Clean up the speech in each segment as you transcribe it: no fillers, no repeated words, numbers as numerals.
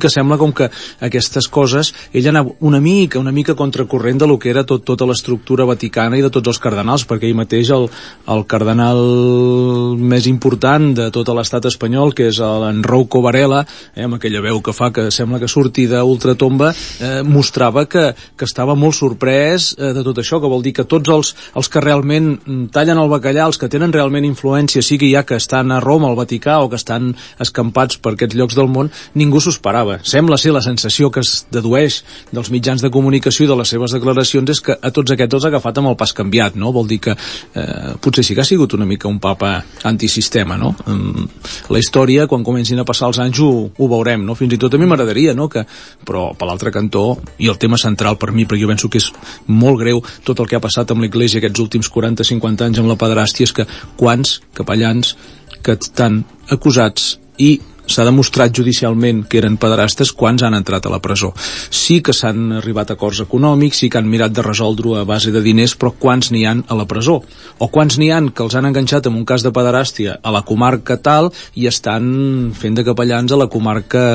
que sembla com que aquestes coses ell anava una mica contracorrent de lo que era tota l'estructura vaticana i de tots els cardenals, perquè ell mateix el cardenal més important de tot l'estat espanyol, que és l'Enrico Varela, amb aquella veu que fa que sembla que surti d'ultratomba, mostrava que estava molt sorprès de tot això, que vol dir que tots els que realment tallen el bacallà, els que tenen realment influència, sigui ja que estan a Roma, al Vaticà, o que estan escampats per aquests llocs del món, ningú s'ho esperava. Sembla ser la sensació que es dedueix dels mitjans de comunicació i de les seves declaracions és que a tots aquests els ha agafat amb el pas canviat, no? Vol dir que potser sí que ha sigut una mica un papa antisistema, no? La història, quan comencin a passar els anys, ho veurem, no? Fins i tot a mi m'agradaria, no? Però per l'altre cantó, i el tema central per mi, perquè jo penso que és molt greu tot el que ha passat amb l'Església aquests últims 40-50 anys amb la pederàstia, és que quants capellans que estan acusats i s'ha demostrat judicialment que eren pederastes, quants han entrat a la presó. Sí que s'han arribat a acords econòmics, sí que han mirat de resoldre-ho a base de diners, però quants n'hi han a la presó? O quants n'hi han que els han enganxat en un cas de pederàstia a la comarca tal i estan fent de capellans a la comarca,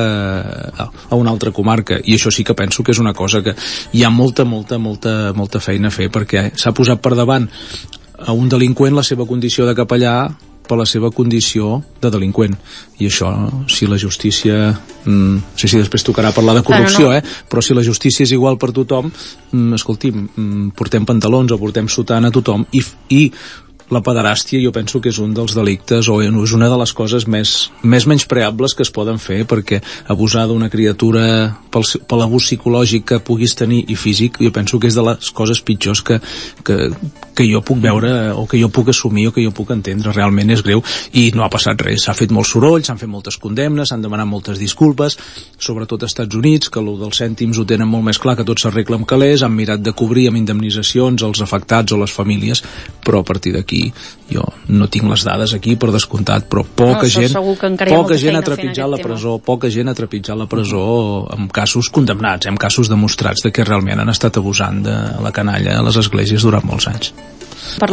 a una altra comarca? I això sí que penso que és una cosa que hi ha molta feina a fer, perquè s'ha posat per davant a un delinqüent la seva condició de capellà per la seva condició de delinqüent, i això, si la justícia no sé si després tocarà parlar de corrupció, però si la justícia és igual per tothom, escolti'm, portem pantalons o portem sotana a tothom, i la pederàstia jo penso que és un dels delictes, o és una de les coses més menyspreables que es poden fer, perquè abusar d'una criatura per l'abús psicològic que puguis tenir i físic, jo penso que és de les coses pitjors que jo puc veure, o que jo puc assumir, o que jo puc entendre. Realment és greu, i no ha passat res. S'ha fet molt soroll, s'han fet moltes condemnes, s'han demanat moltes disculpes, sobretot als Estats Units, que el dels cèntims ho tenen molt més clar, que tot s'arregla amb calés, han mirat de cobrir amb indemnitzacions els afectats o les famílies, però a partir d'aquí jo no tinc les dades aquí, per descomptat, però poca gent ha trepitjat la presó, poca gent ha trepitjat la presó amb casos condemnats, amb casos demostrats de que realment han estat abusant de la canalla a les esglésies durant molts anys.